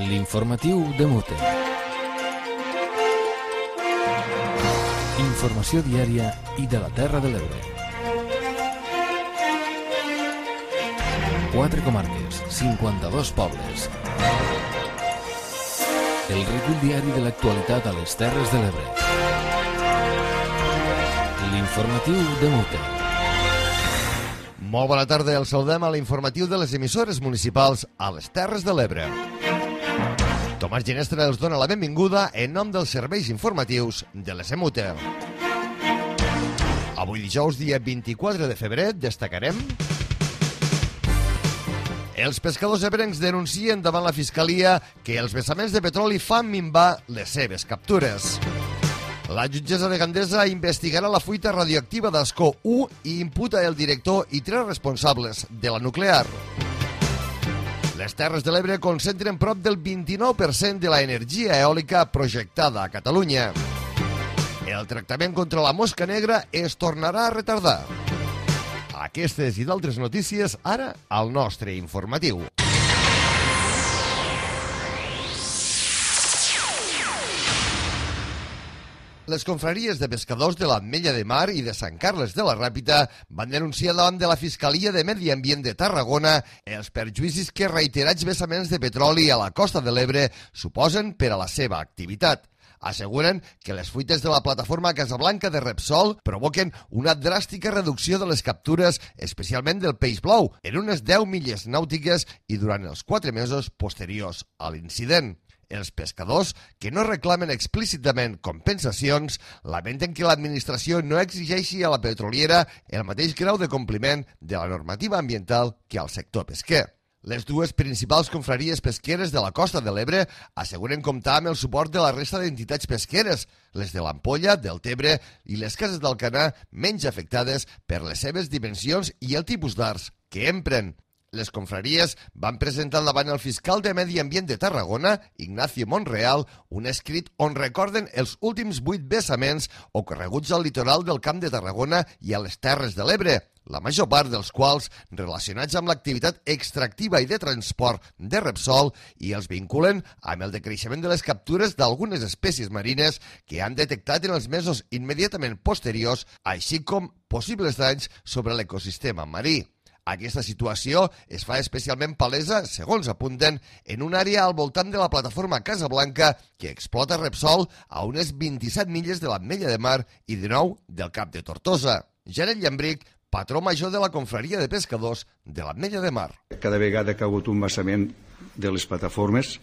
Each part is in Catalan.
L'informatiu de Mute. Informació diària i de la Terra de l'Ebre. 4 comarques, 52 pobles. El recull diari de l'actualitat a les Terres de l'Ebre. L'informatiu de Mute. Molt bona tarda, el saludem a l'informatiu de les emissores municipals a les Terres de l'Ebre. Tomàs Ginestra els dona la benvinguda en nom dels serveis informatius de l'ESMUTE. Avui dijous, dia 24 de febrer, destacarem: els pescadors ebrencs denuncien davant la Fiscalia que els vessaments de petroli fan minvar les seves captures. La jutgessa de Gandesa investigarà la fuita radioactiva d'Ascó 1 i imputa el director i 3 responsables de la nuclear. Les Terres de l'Ebre concentren prop del 29% de l'energia eòlica projectada a Catalunya. El tractament contra la mosca negra es tornarà a retardar. Aquestes i d'altres notícies ara al nostre informatiu. Les confraries de pescadors de l'Ametlla de Mar i de Sant Carles de la Ràpita van denunciar davant de la Fiscalia de Medi Ambient de Tarragona els perjuïcis que reiterats vessaments de petroli a la costa de l'Ebre suposen per a la seva activitat. Asseguren que les fuites de la plataforma Casablanca de Repsol provoquen una dràstica reducció de les captures, especialment del peix blau, en unes 10 milles nàutiques i durant els 4 mesos posteriors a l'incident. Els pescadors, que no reclamen explícitament compensacions, lamenten que l'administració no exigeixi a la petroliera el mateix grau de compliment de la normativa ambiental que al sector pesquer. Les dues principals confraries pesqueres de la costa de l'Ebre asseguren comptar amb el suport de la resta d'entitats pesqueres, les de l'Ampolla, del Tebre i les cases d'Alcanar, menys afectades per les seves dimensions i el tipus d'arts que empren. Les confraries van presentar davant el fiscal de Medi Ambient de Tarragona, Ignacio Monreal, un escrit on recorden els últims 8 vessaments ocorreguts al litoral del Camp de Tarragona i a les Terres de l'Ebre, la major part dels quals relacionats amb l'activitat extractiva i de transport de Repsol, i els vinculen amb el decreixement de les captures d'algunes espècies marines que han detectat en els mesos immediatament posteriors, així com possibles danys sobre l'ecosistema marí. Aquesta situació es fa especialment palesa, segons apunten, en una àrea al voltant de la plataforma Casablanca que explota Repsol a unes 27 milles de l'Ametlla de Mar i 19 del Cap de Tortosa. Janet Llambric, patró major de la confraria de pescadors de l'Ametlla de Mar. Cada vegada que ha hagut un vessament de les plataformes,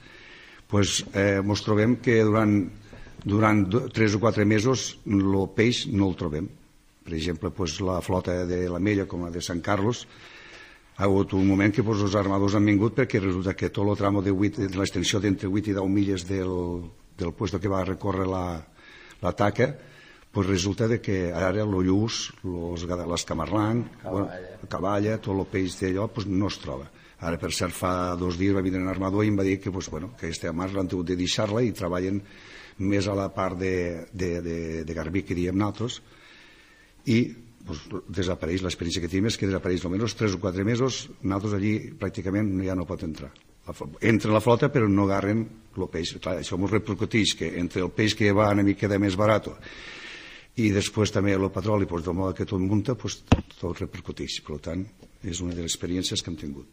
ens trobem que durant 3 o 4 mesos el peix no el trobem. Per exemple, la flota de l'Ametlla com la de Sant Carlos, ha hagut un moment que els armadors han vingut perquè resulta que tot el tramo de l'extensió d'entre 8 i 10 milles del puesto que va recórrer la taca, resulta que ara el lluç, l'escamarlang, la cavalla, tot el peix d'allò no es troba. Ara, per cert, fa 2 dies va vindre un armador i em va dir que aquesta mar l'han hagut de deixar-la i treballen més a la part de Garbí, que diem nosaltres, i desapareix. L'experiència que tenim és que desapareix almenys 3 o 4 mesos. Nosaltres allí pràcticament ja no pot entrar. Entra la flota però no agarren el peix. Clar, això ens repercuteix que entre el peix que va una mica més barat i després també el petroli, del mode que tot munta, tot repercuteix. Per tant, és una de les experiències que hem tingut.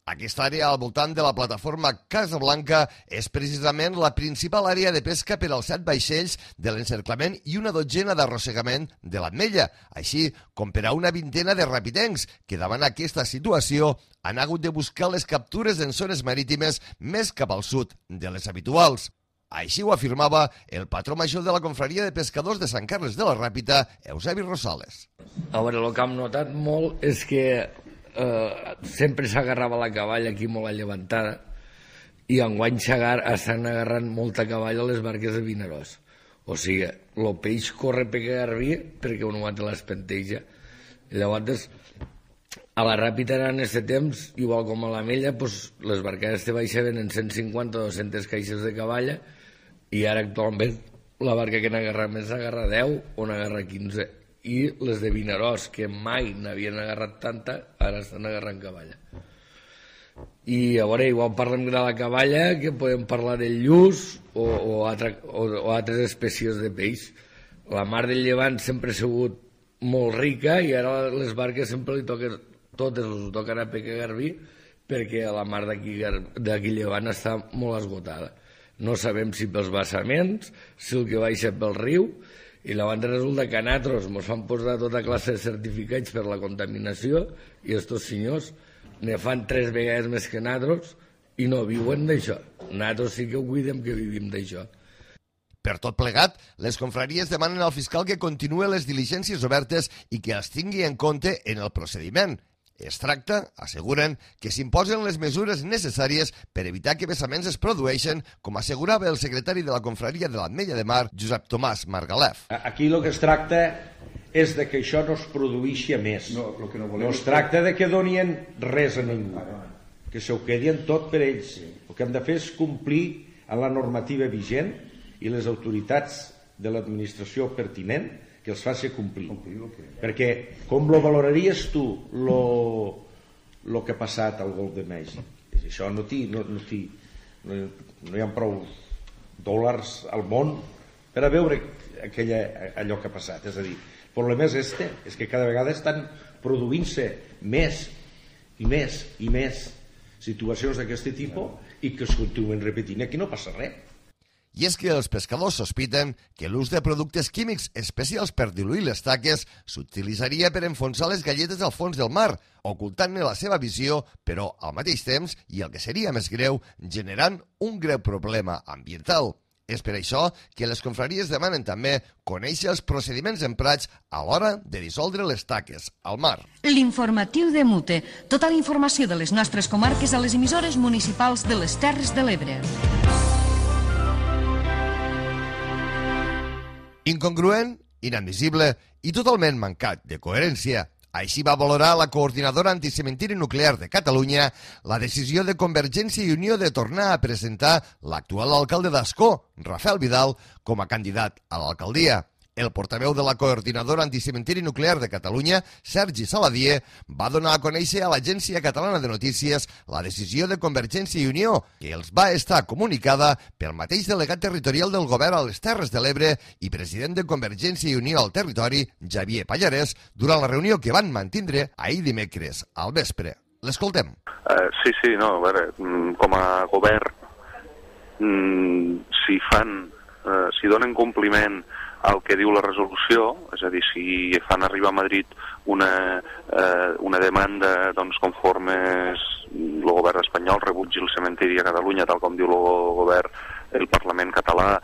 Aquesta àrea al voltant de la plataforma Casablanca és precisament la principal àrea de pesca per als 7 vaixells de l'encerclament i una dotzena d'arrossegament de l'Ametlla, així com per a una vintena de rapidencs que davant aquesta situació han hagut de buscar les captures en zones marítimes més cap al sud de les habituals. Així ho afirmava el patró major de la confraria de pescadors de Sant Carles de la Ràpita, Eusebi Rosales. A veure, el que hem notat molt és que sempre s'agarrava la cavalla aquí molt allevantada i enguany estan agarrant molta cavalla a les barques de Vinaròs. O sigui, el peix corre per Garbí perquè un aguanta l'espenteja. Llavors, a la Ràpita en aquest temps, igual com a l'Ametlla, les barcades te baixaven en 150 o 200 caixes de cavalla i ara actualment la barca que n'agarra més n'agarra 10 o n'agarra 15. I les de Vinaròs, que mai n'havien agarrat tanta, ara estan agarrant cavalla. I a veure, igual parlem de la caballa, que podem parlar del lluç o altres espècies de peix. La mar del Llevant sempre ha sigut molt rica i ara les barques sempre totes els toquen a pescar garbí, perquè la mar d'aquí Llevant està molt esgotada. No sabem si pels vessaments, si el que baixa pel riu, i llavors resulta que a nosaltres ens fan posar tota classe de certificats per la contaminació i estos senyors ne fan 3 vegades més que nosaltres i no viuen d'això. Nosaltres sí que ho cuidem que vivim d'això. Per tot plegat, les confraries demanen al fiscal que continuï les diligències obertes i que els tingui en compte en el procediment. Es tracta, asseguren, que s'imposen les mesures necessàries per evitar que vessaments es produeixen, com assegurava el secretari de la confraria de l'Ametlla de Mar, Josep Tomàs Margalef. Aquí el que es tracta és de que això no es produeixi més. No es tracta de que donien res a ningú, que s'ho quedien tot per ells. El que hem de fer és complir amb la normativa vigent i les autoritats de l'administració pertinent que els faci complir. Perquè com lo valoraries tu lo que ha passat al Golf de Mèxic? Això no hi ha prou dòlars al món per a veure allò que ha passat. És a dir, el problema és que cada vegada estan produint-se més i més i més situacions d'aquest tipus i que es continuen repetint. Aquí no passa res. I és que els pescadors sospiten que l'ús de productes químics especials per diluir les taques s'utilitzaria per enfonsar les galletes al fons del mar, ocultant-ne la seva visió, però al mateix temps, i el que seria més greu, generant un greu problema ambiental. És per això que les confraries demanen també conèixer els procediments emprats a l'hora de dissoldre les taques al mar. L'informatiu de Mute. Tota la informació de les nostres comarques a les emissores municipals de les Terres de l'Ebre. Incongruent, inadmissible i totalment mancat de coherència. Així va valorar la coordinadora anticementiri nuclear de Catalunya la decisió de Convergència i Unió de tornar a presentar l'actual alcalde d'Ascó, Rafael Vidal, com a candidat a l'alcaldia. El portaveu de la coordinadora anticementiri nuclear de Catalunya, Sergi Saladier, va donar a conèixer a l'Agència Catalana de Notícies la decisió de Convergència i Unió, que els va estar comunicada pel mateix delegat territorial del govern a les Terres de l'Ebre i president de Convergència i Unió al territori, Xavier Pallarès, durant la reunió que van mantindre ahir dimecres al vespre. L'escoltem. Sí, no, a veure, com a govern, si donen compliment el que diu la resolució, és a dir, si fan arribar a Madrid una demanda conforme el govern espanyol rebutgi el cementiri a Catalunya, tal com diu el Parlament català,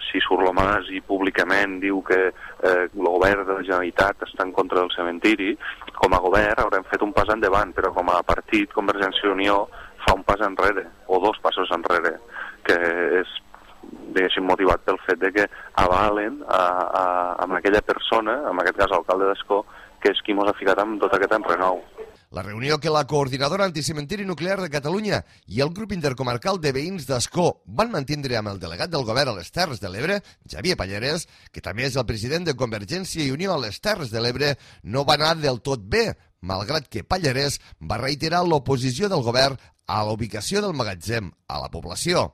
si surt l'Omàs i públicament diu que el govern de la Generalitat està en contra del cementiri, com a govern haurem fet un pas endavant, però com a partit Convergència i Unió fa un pas enrere, o 2 passos enrere, que és diguéssim motivat pel fet de que avalen amb aquella persona, en aquest cas l'alcalde d'Ascó, que és qui mos ha ficat amb tot aquest enrenou. La reunió que la coordinadora anticementiri nuclear de Catalunya i el grup intercomarcal de veïns d'Ascó van mantindre amb el delegat del govern a les Terres de l'Ebre, Xavier Pallarès, que també és el president de Convergència i Unió a les Terres de l'Ebre, no va anar del tot bé, malgrat que Pallarès va reiterar l'oposició del govern a la ubicació del magatzem a la població.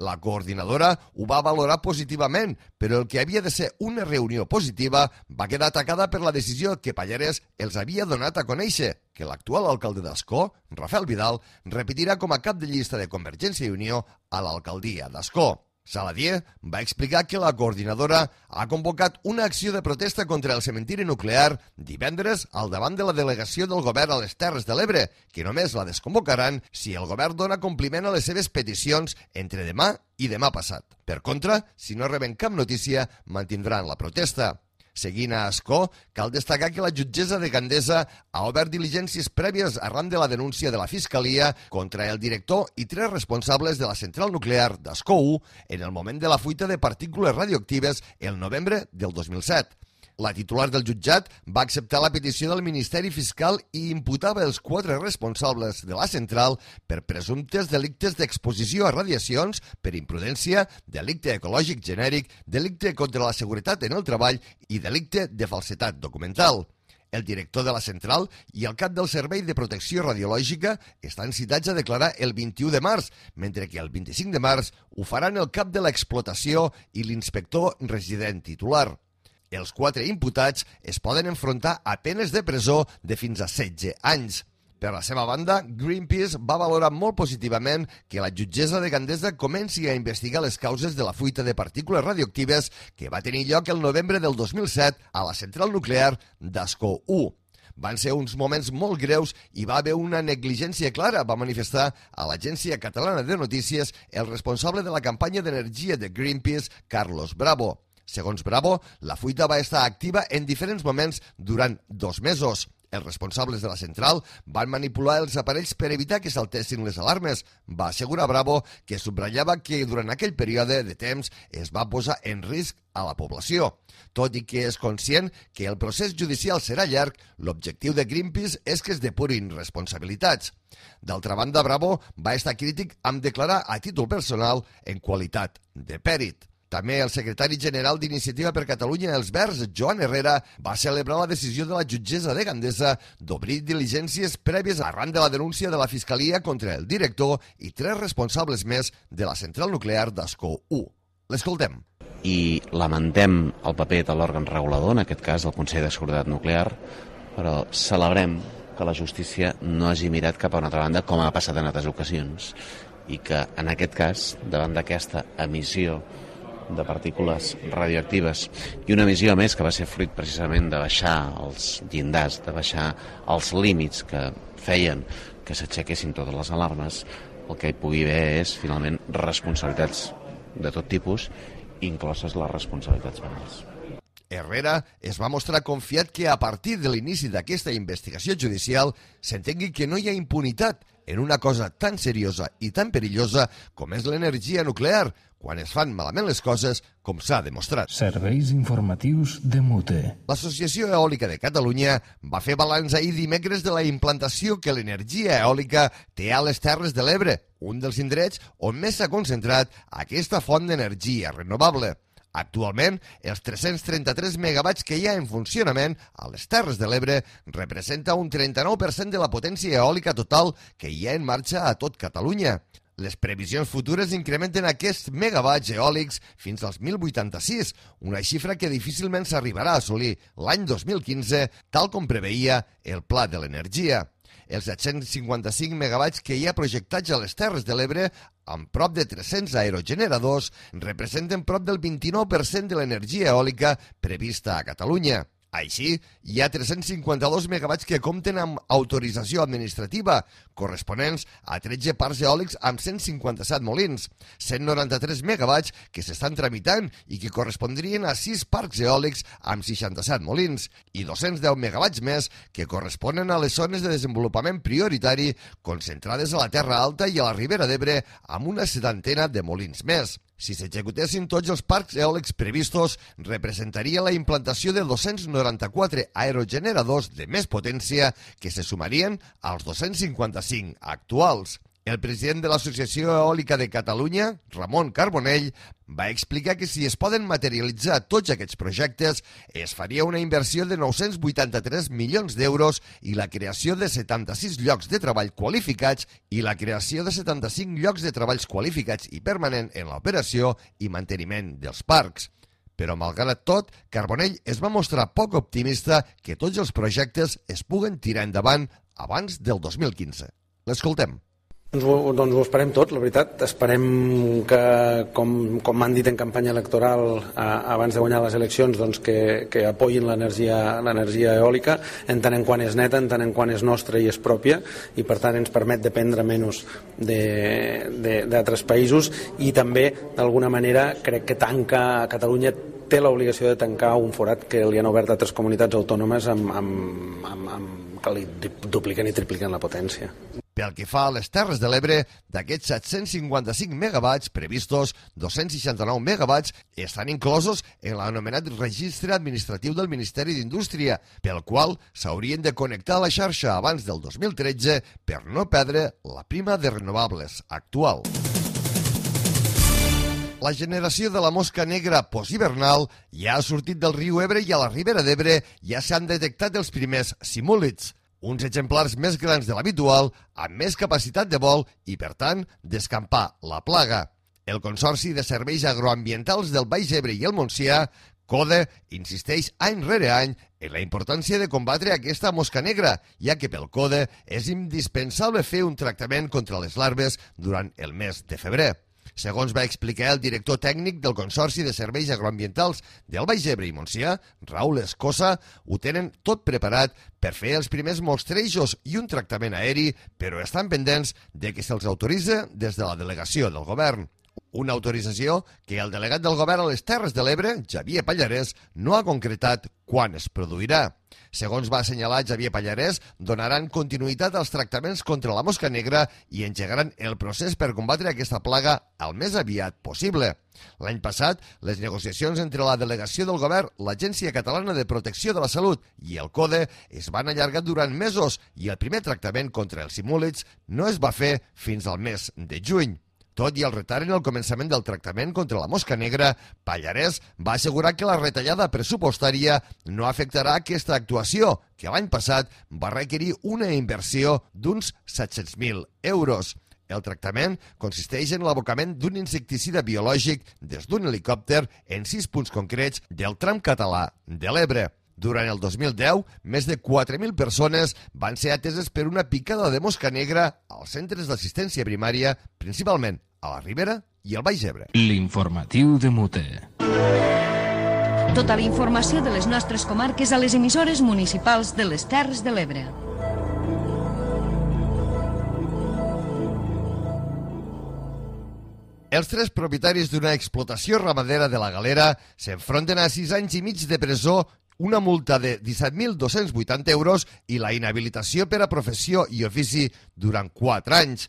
La coordinadora ho va valorar positivament, però el que havia de ser una reunió positiva va quedar atacada per la decisió que Pallarès els havia donat a conèixer, que l'actual alcalde d'Ascó, Rafael Vidal, repetirà com a cap de llista de Convergència i Unió a l'alcaldia d'Ascó. Saladier va explicar que la coordinadora ha convocat una acció de protesta contra el cementiri nuclear divendres al davant de la delegació del govern a les Terres de l'Ebre, que només la desconvocaran si el govern dona compliment a les seves peticions entre demà i demà passat. Per contra, si no reben cap notícia, mantindran la protesta. Seguint a Ascó, cal destacar que la jutgessa de Gandesa ha obert diligències prèvies arran de la denúncia de la Fiscalia contra el director i 3 responsables de la central nuclear d'Ascó 1 en el moment de la fuita de partícules radioactives el novembre del 2007. La titular del jutjat va acceptar la petició del Ministeri Fiscal i imputava els 4 responsables de la central per presumptes delictes d'exposició a radiacions, per imprudència, delicte ecològic genèric, delicte contra la seguretat en el treball i delicte de falsedat documental. El director de la central i el cap del Servei de Protecció Radiològica estan citats a declarar el 21 de març, mentre que el 25 de març ho faran el cap de l'explotació i l'inspector resident titular. Els 4 imputats es poden enfrontar a penes de presó de fins a 16 anys. Per la seva banda, Greenpeace va valorar molt positivament que la jutgessa de Gandesa comenci a investigar les causes de la fuita de partícules radioactives que va tenir lloc el novembre del 2007 a la central nuclear d'Ascó 1. Van ser uns moments molt greus i va haver una negligència clara, va manifestar a l'Agència Catalana de Notícies el responsable de la campanya d'energia de Greenpeace, Carlos Bravo. Segons Bravo, la fuita va estar activa en diferents moments durant 2 mesos. Els responsables de la central van manipular els aparells per evitar que saltessin les alarmes. Va assegurar Bravo que subratllava que durant aquell període de temps es va posar en risc a la població. Tot i que és conscient que el procés judicial serà llarg, l'objectiu de Greenpeace és que es depurin responsabilitats. D'altra banda, Bravo va estar crític amb declarar a títol personal en qualitat de pèrit. També el secretari general d'Iniciativa per Catalunya Els Verds, Joan Herrera, va celebrar la decisió de la jutgessa de Gandesa d'obrir diligències prèvies arran de la denúncia de la Fiscalia contra el director i 3 responsables més de la central nuclear d'Ascó 1. L'escoltem. I lamentem el paper de l'òrgan regulador, en aquest cas el Consell de Seguretat Nuclear, però celebrem que la justícia no hagi mirat cap a una altra banda, com ha passat en altres ocasions, i que en aquest cas, davant d'aquesta emissió de partícules radioactives i una emissió més que va ser fruit precisament de baixar els llindars, de baixar els límits que feien que s'aixequessin totes les alarmes, el que hi pugui haver és finalment responsabilitats de tot tipus, incloses les responsabilitats penals. Herrera es va mostrar confiat que a partir de l'inici d'aquesta investigació judicial s'entengui que no hi ha impunitat en una cosa tan seriosa i tan perillosa com és l'energia nuclear, quan es fan malament les coses, com s'ha demostrat. Serveis informatius de Mute. L'Associació Eòlica de Catalunya va fer balanç ahir dimecres de la implantació que l'energia eòlica té a les Terres de l'Ebre, un dels indrets on més s'ha concentrat aquesta font d'energia renovable. Actualment, els 333 megawatts que hi ha en funcionament a les Terres de l'Ebre representa un 39% de la potència eòlica total que hi ha en marxa a tot Catalunya. Les previsions futures incrementen aquests megawatts eòlics fins als 1.086, una xifra que difícilment s'arribarà a assolir l'any 2015, tal com preveia el Pla de l'Energia. Els 755 megawatts que hi ha projectats a les Terres de l'Ebre, amb prop de 300 aerogeneradors, representen prop del 29% de l'energia eòlica prevista a Catalunya. Així, hi ha 352 megawatts que compten amb autorització administrativa, corresponents a 13 parcs eòlics amb 157 molins, 193 megawatts que s'estan tramitant i que correspondrien a 6 parcs eòlics amb 67 molins, i 210 megawatts més que corresponen a les zones de desenvolupament prioritari concentrades a la Terra Alta i a la Ribera d'Ebre amb una 70 de molins més. Si s'executessin tots els parcs eòlics previstos, representaria la implantació de 294 aerogeneradors de més potència que se sumarien als 255 actuals. El president de l'Associació Eòlica de Catalunya, Ramon Carbonell, va explicar que si es poden materialitzar tots aquests projectes, es faria una inversió de 983 milions d'euros i la creació de 76 llocs de treball qualificats i la creació de 75 llocs de treballs qualificats i permanent en l'operació i manteniment dels parcs. Però, malgrat tot, Carbonell es va mostrar poc optimista que tots els projectes es puguen tirar endavant abans del 2015. L'escoltem. Doncs ho esperem tot, la veritat. Esperem que, com m'han dit en campanya electoral abans de guanyar les eleccions, doncs que apoyin l'energia eòlica, en tant en quant és neta, en tant en quant és nostra i és pròpia, i per tant ens permet dependre menys d'altres països, i també, d'alguna manera, crec que tanca a Catalunya té l'obligació de tancar un forat que li han obert altres comunitats autònomes que li dupliquen i tripliquen la potència. Pel que fa a les Terres de l'Ebre, d'aquests 755 megawatts previstos, 269 megawatts estan inclosos en l'anomenat registre administratiu del Ministeri d'Indústria, pel qual s'haurien de connectar a la xarxa abans del 2013 per no perdre la prima de renovables actual. La generació de la mosca negra posthivernal ja ha sortit del riu Ebre i a la Ribera d'Ebre ja s'han detectat els primers simúlids, uns exemplars més grans de l'habitual, amb més capacitat de vol i, per tant, d'escampar la plaga. El Consorci de Serveis Agroambientals del Baix Ebre i el Montsià, CODE, insisteix any rere any en la importància de combatre aquesta mosca negra, ja que pel CODE és indispensable fer un tractament contra les larves durant el mes de febrer. Segons va explicar el director tècnic del Consorci de Serveis Agroambientals del Baix Ebre i Montsià, Raül Escosa, ho tenen tot preparat per fer els primers mostrejos i un tractament aeri, però estan pendents de que se'ls autoritza des de la delegació del govern. Una autorització que el delegat del govern a les Terres de l'Ebre, Xavier Pallarès, no ha concretat quan es produirà. Segons va assenyalar Xavier Pallarès, donaran continuïtat als tractaments contra la mosca negra i engegaran el procés per combatre aquesta plaga el més aviat possible. L'any passat, les negociacions entre la delegació del govern, l'Agència Catalana de Protecció de la Salut i el CODE es van allargar durant mesos i el primer tractament contra els simúlids no es va fer fins al mes de juny. Tot i el retard en el començament del tractament contra la mosca negra, Pallarès va assegurar que la retallada pressupostària no afectarà aquesta actuació, que l'any passat va requerir una inversió d'uns 700.000 euros. El tractament consisteix en l'abocament d'un insecticida biològic des d'un helicòpter en 6 punts concrets del tram català de l'Ebre. Durant el 2010, més de 4.000 persones van ser ateses per una picada de mosca negra als centres d'assistència primària, principalment a la Ribera i al Baix Ebre. L'informatiu de Mute. Tota la informació de les nostres comarques a les emissores municipals de les Terres de l'Ebre. Els 3 propietaris d'una explotació ramadera de la Galera s'enfronten a 6 anys i mig de presó, una multa de 17.280 euros i la inhabilitació per a professió i ofici durant 4 anys.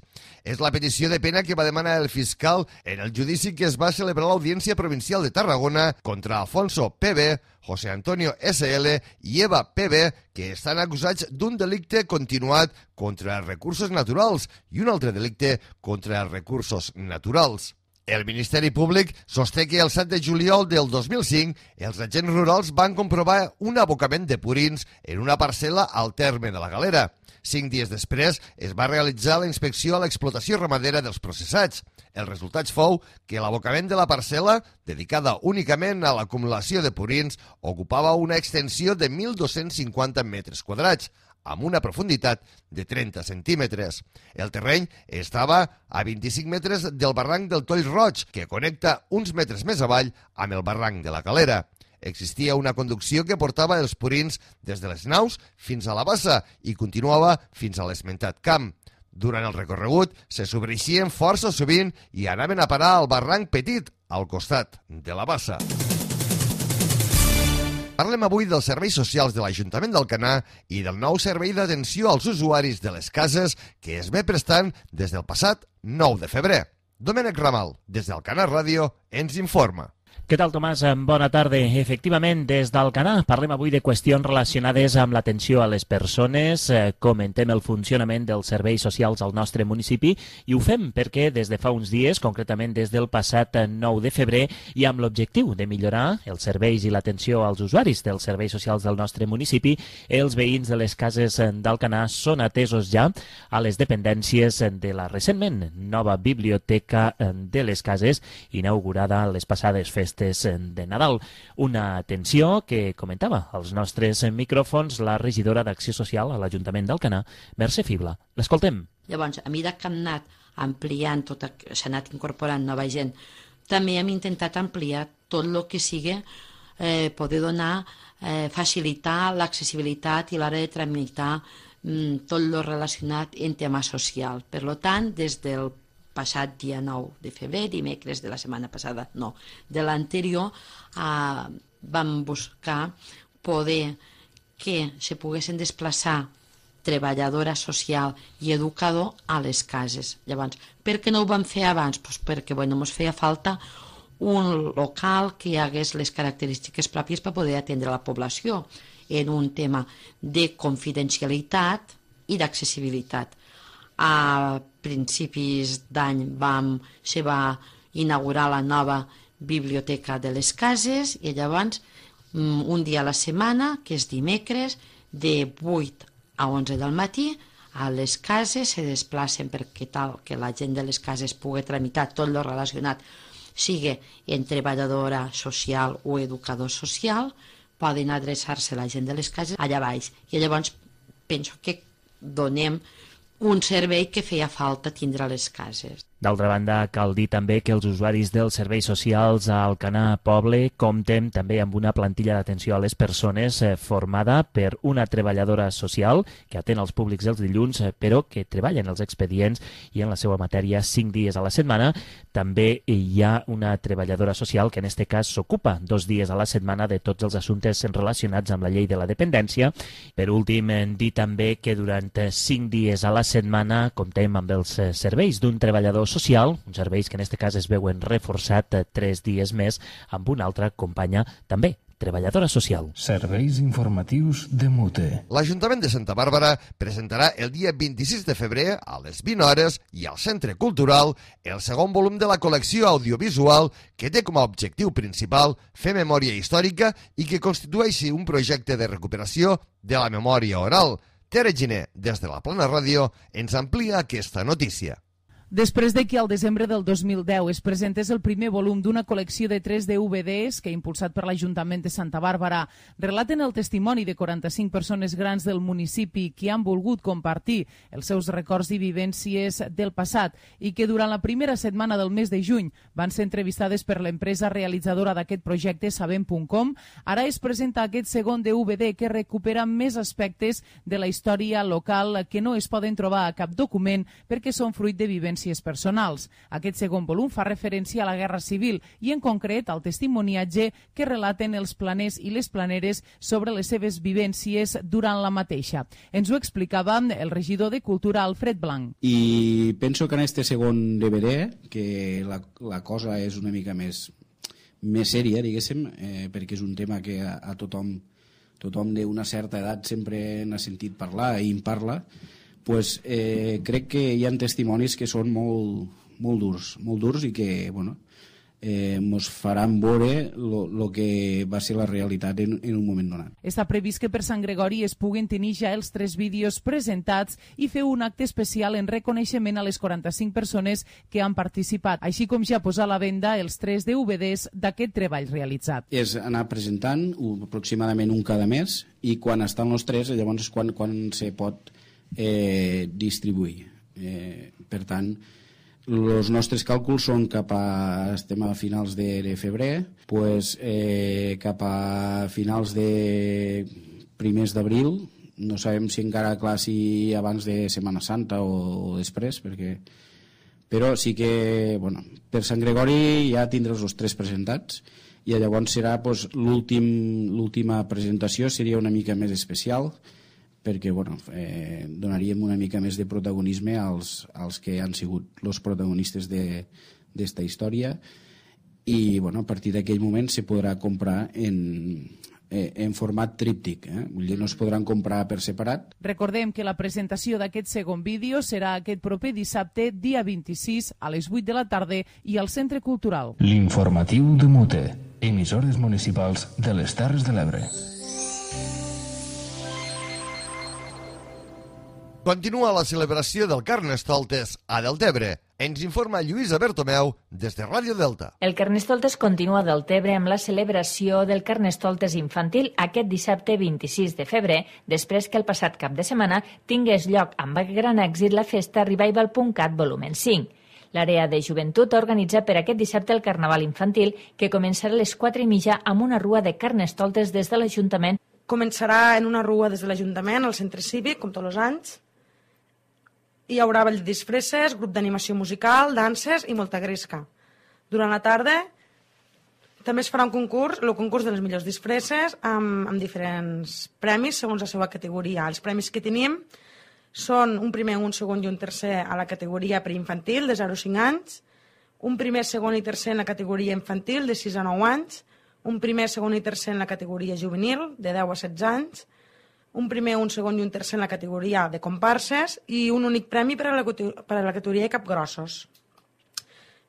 És la petició de pena que va demanar el fiscal en el judici que es va celebrar a l'Audiència Provincial de Tarragona contra Alfonso P.B., José Antonio S.L. i Eva P.B., que estan acusats d'un delicte continuat contra els recursos naturals i un altre delicte contra els recursos naturals. El Ministeri Públic sosté que el 7 de juliol del 2005 els agents rurals van comprovar un abocament de purins en una parcel·la al terme de la Galera. 5 dies després es va realitzar la inspecció a l'explotació ramadera dels processats. El resultat fou que l'abocament de la parcel·la, dedicada únicament a l'acumulació de purins, ocupava una extensió de 1.250 metres quadrats, amb una profunditat de 30 centímetres. El terreny estava a 25 metres del barranc del Toll Roig, que connecta uns metres més avall amb el barranc de la Calera. Existia una conducció que portava els purins des de les naus fins a la bassa i continuava fins a l'esmentat camp. Durant el recorregut se sobreixien força sovint i anaven a parar al barranc petit, al costat de la bassa. Parlem avui dels serveis socials de l'Ajuntament d'Alcanar i del nou servei d'atenció als usuaris de les cases que es ve prestant des del passat 9 de febrer. Domènec Ramal, des d'Alcanar Ràdio, ens informa. Què tal, Tomàs? Bona tarda. Efectivament, des d'Alcanar parlem avui de qüestions relacionades amb l'atenció a les persones, comentem el funcionament dels serveis socials al nostre municipi i ho fem perquè des de fa uns dies, concretament des del passat 9 de febrer, i amb l'objectiu de millorar els serveis i l'atenció als usuaris dels serveis socials del nostre municipi, els veïns de les cases d'Alcanar són atesos ja a les dependències de la recentment nova biblioteca de les cases, inaugurada a les passades festes de Nadal. Una atenció que comentava als nostres micròfons la regidora d'Acció Social a l'Ajuntament d'Alcanar, Mercè Fibla. L'escoltem. Llavors, a mesura que hem anat ampliant, s'ha anat incorporant nova gent, també hem intentat ampliar tot el que sigui poder donar, facilitar l'accessibilitat i l'hora de tramitar tot el relacionat en tema social. Per tant, des del passat dia 9 de febrer, dimecres de la setmana passada, no, de l'anterior, vam buscar poder que se poguessin desplaçar treballadora social i educador a les cases. Llavors, per què no ho vam fer abans? Pues perquè ens feia falta un local que hi hagués les característiques pròpies per poder atendre la població en un tema de confidencialitat i d'accessibilitat. A principis d'any se va inaugurar la nova biblioteca de les cases i llavors un dia a la setmana, que és dimecres, de 8 a 11 del matí, a les cases se desplacen perquè tal que la gent de les cases pugui tramitar tot el relacionat, sigui en treballadora social o educador social, poden adreçar-se a la gent de les cases allà baix. I llavors penso que donem un servei que feia falta tindre a les cases. D'altra banda, cal dir també que els usuaris dels serveis socials a Alcanar Poble compten també amb una plantilla d'atenció a les persones formada per una treballadora social que atén els públics els dilluns, però que treballa en els expedients i en la seva matèria 5 dies a la setmana. També hi ha una treballadora social que en aquest cas s'ocupa 2 dies a la setmana de tots els assumptes relacionats amb la llei de la dependència. Per últim, dir també que durant 5 dies a la setmana comptem amb els serveis d'un treballador social, uns serveis que en aquest cas es veuen reforçat 3 dies més amb una altra companya també treballadora social. Serveis informatius de Mute. L'Ajuntament de Santa Bàrbara presentarà el dia 26 de febrer a les 20 hores i al Centre Cultural el segon volum de la col·lecció audiovisual que té com a objectiu principal fer memòria històrica i que constitueixi un projecte de recuperació de la memòria oral. Tere Giner, des de la Plana Ràdio, ens amplia aquesta notícia. Després de que al desembre del 2010 es presentés el primer volum d'una col·lecció de 3 DVDs que, impulsat per l'Ajuntament de Santa Bàrbara, relaten el testimoni de 45 persones grans del municipi que han volgut compartir els seus records i vivències del passat i que durant la primera setmana del mes de juny van ser entrevistades per l'empresa realitzadora d'aquest projecte, Sabem.com, ara es presenta aquest segon DVD que recupera més aspectes de la història local que no es poden trobar a cap document perquè són fruit de vivències personals. Aquest segon volum fa referència a la Guerra Civil i en concret al testimoniatge que relaten els planers i les planeres sobre les seves vivències durant la mateixa. Ens ho explicava el regidor de Cultura, Alfred Blanc. I penso que en este segon DVD, que la cosa és una mica més sèria, diguéssim, perquè és un tema que a tothom d'una certa edat sempre n'ha sentit parlar i en parla, pues, crec que hi ha testimonis que són molt durs i que ens faran veure el que va ser la realitat en un moment donat. Està previst que per Sant Gregori es puguen tenir ja els 3 vídeos presentats i fer un acte especial en reconeixement a les 45 persones que han participat, així com ja posar a la venda els 3 DVDs d'aquest treball realitzat. És anar presentant aproximadament un cada mes i quan estan els 3 llavors és quan se pot distribuir. Per tant, els nostres càlculs són estem a finals de febrer, cap a finals de primers d'abril, no sabem si encara clar si abans de Setmana Santa o després, però sí que per Sant Gregori ja tindràs els 3 presentats i llavors serà l'última presentació seria una mica més especial perquè donaríem una mica més de protagonisme als que han sigut els protagonistes d'esta història i a partir d'aquell moment se podrà comprar en format tríptic, vull dir, no es podran comprar per separat. Recordem que la presentació d'aquest segon vídeo serà aquest proper dissabte, dia 26, a les 8 de la tarda i al Centre Cultural. L'informatiu de Mute, emissores municipals de les Terres de l'Ebre. Continua la celebració del Carnestoltes a Deltebre. Ens informa Lluïsa Bertomeu des de Ràdio Delta. El Carnestoltes continua a Deltebre amb la celebració del Carnestoltes infantil aquest dissabte 26 de febrer, després que el passat cap de setmana tingués lloc amb gran èxit la festa Revival.cat volumen 5. L'àrea de joventut ha organitzat per aquest dissabte el Carnaval infantil, que començarà a les 4:30 amb una rua de Carnestoltes des de l'Ajuntament. Començarà en una rua des de l'Ajuntament, al centre cívic, com tots els anys. Hi haurà ball de disfresses, grup d'animació musical, danses i molta gresca. Durant la tarda també es farà un concurs, el concurs de les millors disfresses, amb diferents premis segons la seva categoria. Els premis que tenim són un primer, un segon i un tercer a la categoria preinfantil de 0 a 5 anys, un primer, segon i tercer en la categoria infantil de 6 a 9 anys, un primer, segon i tercer en la categoria juvenil de 10 a 16 anys, un primer, un segon i un tercer en la categoria de comparses i un únic premi per a la categoria de capgrossos.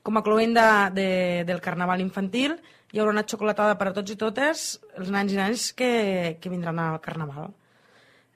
Com a cloenda del Carnaval infantil, hi haurà una xocolatada per a tots i totes els nens i nenes que vindran al Carnaval.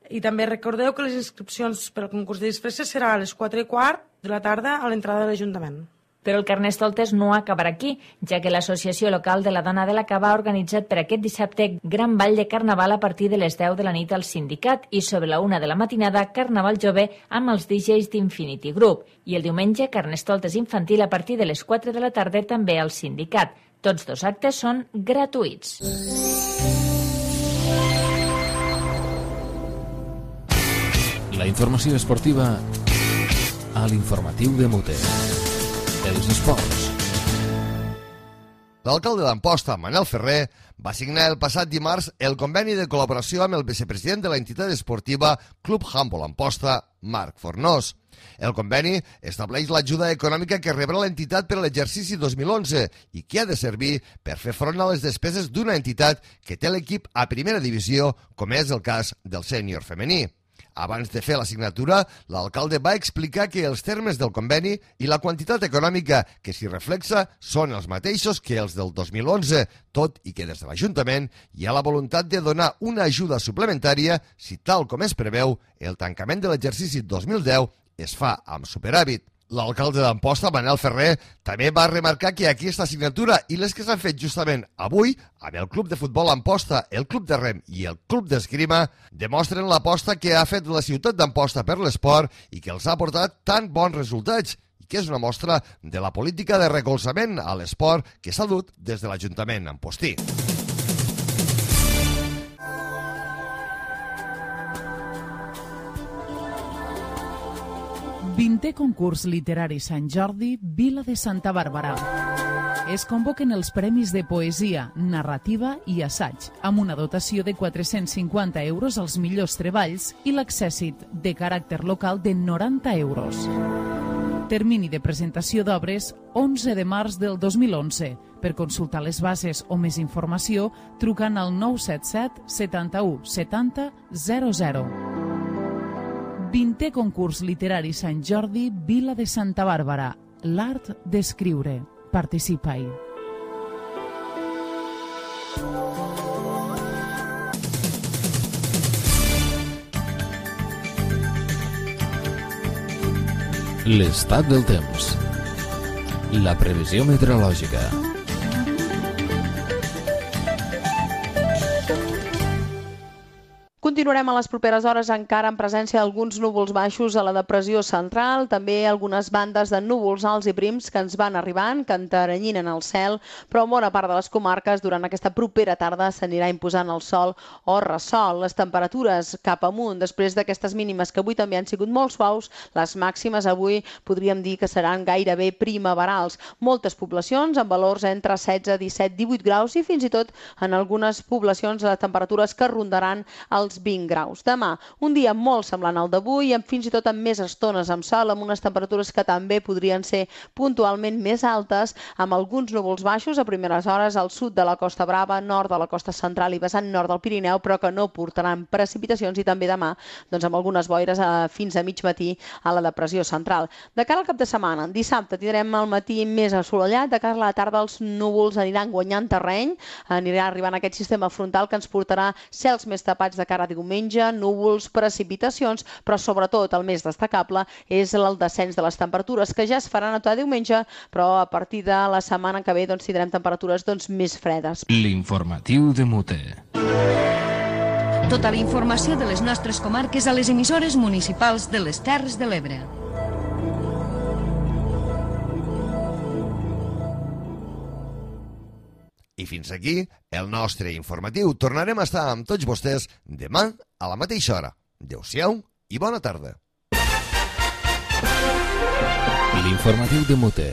I també recordeu que les inscripcions per al concurs de disfresses serà a les 4:15 de la tarda a l'entrada de l'Ajuntament. Però el Carnestoltes no acabarà aquí, ja que l'Associació Local de la Dona de la Cava ha organitzat per aquest dissabte gran ball de Carnaval a partir de les 10 de la nit al sindicat i sobre la 1 de la matinada Carnaval jove amb els DJs d'Infinity Group i el diumenge Carnestoltes infantil a partir de les 4 de la tarda també al sindicat. Tots dos actes són gratuïts. La informació esportiva a l'informatiu de Mute. Els esports. L'alcalde d'Amposta, Manel Ferrer, va signar el passat dimarts el conveni de col·laboració amb el vicepresident de l'entitat esportiva Club Handbol Amposta, Marc Fornós. El conveni estableix l'ajuda econòmica que rebrà l'entitat per a l'exercici 2011 i que ha de servir per fer front a les despeses d'una entitat que té l'equip a primera divisió, com és el cas del sènior femení. Abans de fer la signatura, l'alcalde va explicar que els termes del conveni i la quantitat econòmica que s'hi reflexa són els mateixos que els del 2011, tot i que des de l'Ajuntament hi ha la voluntat de donar una ajuda suplementària si, tal com es preveu, el tancament de l'exercici 2010 es fa amb superàvit. L'alcalde d'Amposta, Manel Ferrer, també va remarcar que aquesta signatura i les que s'han fet justament avui amb el Club de Futbol Amposta, el Club de Rem i el Club d'Esgrima demostren l'aposta que ha fet la ciutat d'Amposta per l'esport i que els ha portat tan bons resultats i que és una mostra de la política de recolzament a l'esport que s'ha dut des de l'Ajuntament ampostí. Vintè concurs literari Sant Jordi, Vila de Santa Bàrbara. Es convoquen els premis de poesia, narrativa i assaig, amb una dotació de 450 euros als millors treballs i l'accèssit de caràcter local de 90 euros. Termini de presentació d'obres 11 de març del 2011. Per consultar les bases o més informació, trucant al 977 71 70 00. 20è concurs literari Sant Jordi, Vila de Santa Bàrbara. L'art d'escriure. Participa-hi. L'estat del temps. La previsió meteorològica. Continuarem a les properes hores encara en presència d'alguns núvols baixos a la depressió central, també algunes bandes de núvols alts i prims que ens van arribant, que enteranyinen el cel, però en bona part de les comarques durant aquesta propera tarda s'anirà imposant el sol o ressol. Les temperatures cap amunt, després d'aquestes mínimes que avui també han sigut molt suaus, les màximes avui podríem dir que seran gairebé primaverals. Moltes poblacions amb valors entre 16, 17, 18 graus i fins i tot en algunes poblacions les temperatures que rondaran els 20 graus. Demà, un dia molt semblant al d'avui, fins i tot amb més estones amb sol, amb unes temperatures que també podrien ser puntualment més altes, amb alguns núvols baixos a primeres hores al sud de la Costa Brava, nord de la costa central i vessant nord del Pirineu, però que no portaran precipitacions, i també demà amb algunes boires fins a mig matí a la depressió central. De cara al cap de setmana, dissabte tindrem el matí més assolellat, de cara a la tarda els núvols aniran guanyant terreny, anirà arribant aquest sistema frontal que ens portarà cels més tapats de cara a diumenge, núvols, precipitacions, però sobretot el més destacable és el descens de les temperatures, que ja es farà notar diumenge, però a partir de la setmana que ve tindrem temperatures més fredes. L'informatiu de Mute. Tota la informació de les nostres comarques a les emissores municipals de les Terres de l'Ebre. I fins aquí el nostre informatiu. Tornarem a estar amb tots vostès demà a la mateixa hora. Adéu-siau i bona tarda. L'informatiu de Mute,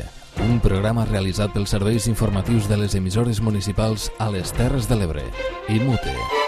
un programa realitzat pels serveis informatius de les emissores municipals a les Terres de l'Ebre i Mute.